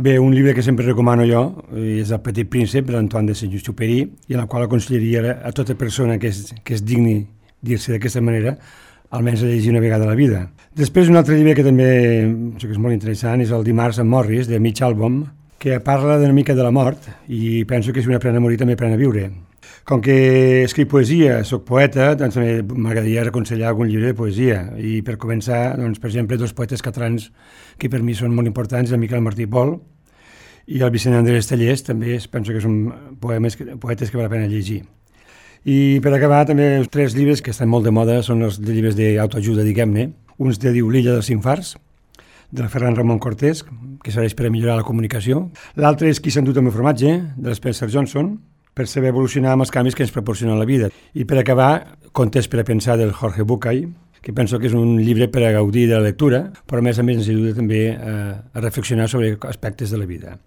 Bé, un llibre que sempre recomano jo és El Petit Príncep, de l'Antoine de Saint-Exupéry, i en el qual aconsellaria a tota persona que és digni dir-se d'aquesta manera, almenys a llegir una vegada a la vida. Després, un altre llibre que també que és molt interessant és El Dimarts amb Morris, de Mitch Albom, que parla una mica de la mort, i penso que si un aprèn a morir també aprèn a viure. Com que escric poesia, soc poeta, doncs també m'agradaria aconsellar algun llibre de poesia. I per començar, doncs, per exemple, dos poetes catalans que per mi són molt importants, el Miquel Martí i Pol i el Vicent Andrés Tallers, també penso que són poetes que val la pena llegir. I per acabar, també els 3 llibres que estan molt de moda són els llibres d'autoajuda, diguem-ne. Un es diu L'illa dels infars, del Ferran Ramon Cortés, que serveix per a millorar la comunicació. L'altre és Qui s'ha endut el meu formatge, de l'Spencer Johnson, per saber evolucionar amb els canvis que ens proporciona la vida. I per acabar, Contes per a pensar, del Jorge Bucay, que penso que és un llibre per a gaudir de la lectura, però a més ens ajuda també a reflexionar sobre aspectes de la vida.